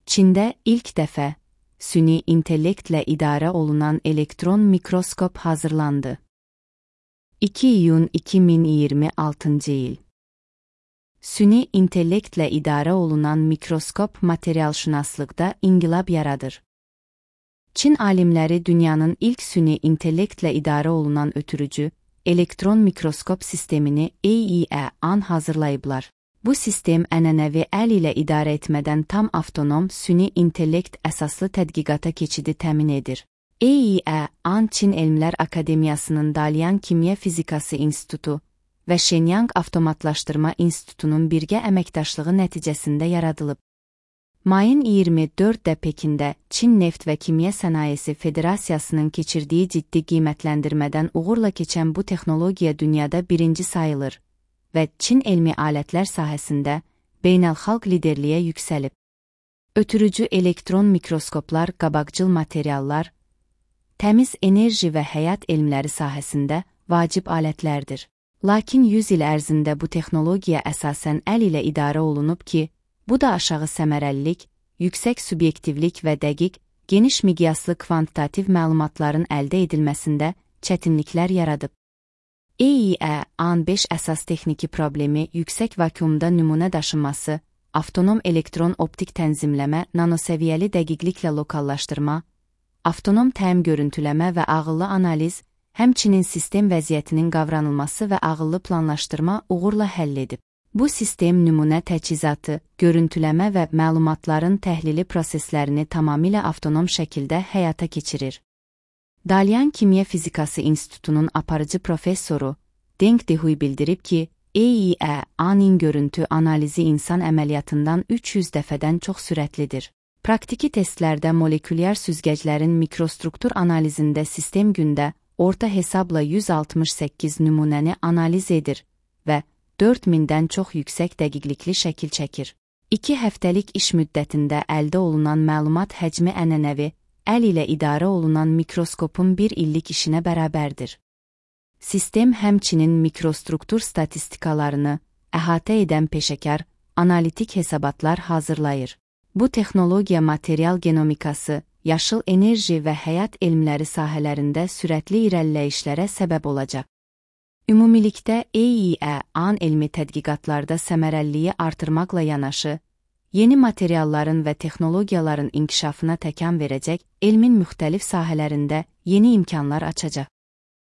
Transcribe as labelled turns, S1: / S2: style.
S1: Çində ilk dəfə süni intellektlə idarə olunan elektron mikroskop hazırlandı. 2 iyun 2026 il. Süni intellektlə idarə olunan mikroskop materialşünaslıqda inqilab yaradır. Çin alimləri dünyanın ilk süni intellektlə idarə olunan ötürücü, elektron mikroskop sistemini AEE-AN hazırlayıblar. Bu sistem ənənəvi əl ilə idarə etmədən tam avtonom süni intellekt əsaslı tədqiqata keçidi təmin edir. AEE-AN Çin Elmlər Akademiyasının Dalian Kimya Fizikası İnstitutu və Shenyang Avtomatlaşdırma İnstitutunun birgə əməkdaşlığı nəticəsində yaradılıb. Mayın 24-də Pekində Çin Neft və Kimya Sənayesi Federasiyasının keçirdiyi ciddi qiymətləndirmədən uğurla keçən bu texnologiya dünyada birinci sayılır və Çin elmi alətlər sahəsində beynəlxalq liderliyə yüksəlib. Ötürücü elektron mikroskoplar, qabaqcıl materiallar, təmiz enerji və həyat elmləri sahəsində vacib alətlərdir. Lakin 100 il ərzində bu texnologiya əsasən əl ilə idarə olunub ki, bu da aşağı səmərəlilik, yüksək subyektivlik və dəqiq, geniş miqyaslı kvantitativ məlumatların əldə edilməsində çətinliklər yaradıb. AEE-AN 5 əsas texniki problemi yüksək vakuumda nümunə daşınması, avtonom elektron optik tənzimləmə, nanosəviyyəli dəqiqliklə lokallaşdırma, avtonom təyim görüntüləmə və ağıllı analiz, həmçinin sistem vəziyyətinin qavranılması və ağıllı planlaşdırma uğurla həll edib. Bu sistem nümunə təchizatı, görüntüləmə və məlumatların təhlili proseslərini tamamilə avtonom şəkildə həyata keçirir. Dalian Kimya Fizikası İnstitutunun aparıcı professoru Deng Dehui bildirib ki, AEE-AN-in görüntü analizi insan əməliyyatından 300 dəfədən çox sürətlidir. Praktiki testlərdə molekülyar süzgəclərin mikrostruktur analizində sistem gündə orta hesabla 168 nümunəni analiz edir və 4000-dən çox yüksək dəqiqlikli şəkil çəkir. 2 həftəlik iş müddətində əldə olunan məlumat həcmi ənənəvi, əl ilə idarə olunan mikroskopun 1 illik işinə bərabərdir. Sistem həmçinin mikrostruktur statistikalarını əhatə edən peşəkar, analitik hesabatlar hazırlayır. Bu texnologiya material genomikası, yaşıl enerji və həyat elmləri sahələrində sürətli irəliləyişlərə səbəb olacaq. Ümumilikdə AEE-AN elmi tədqiqatlarda səmərəliliyi artırmaqla yanaşı, yeni materialların və texnologiyaların inkişafına təkan verəcək, elmin müxtəlif sahələrində yeni imkanlar açacaq.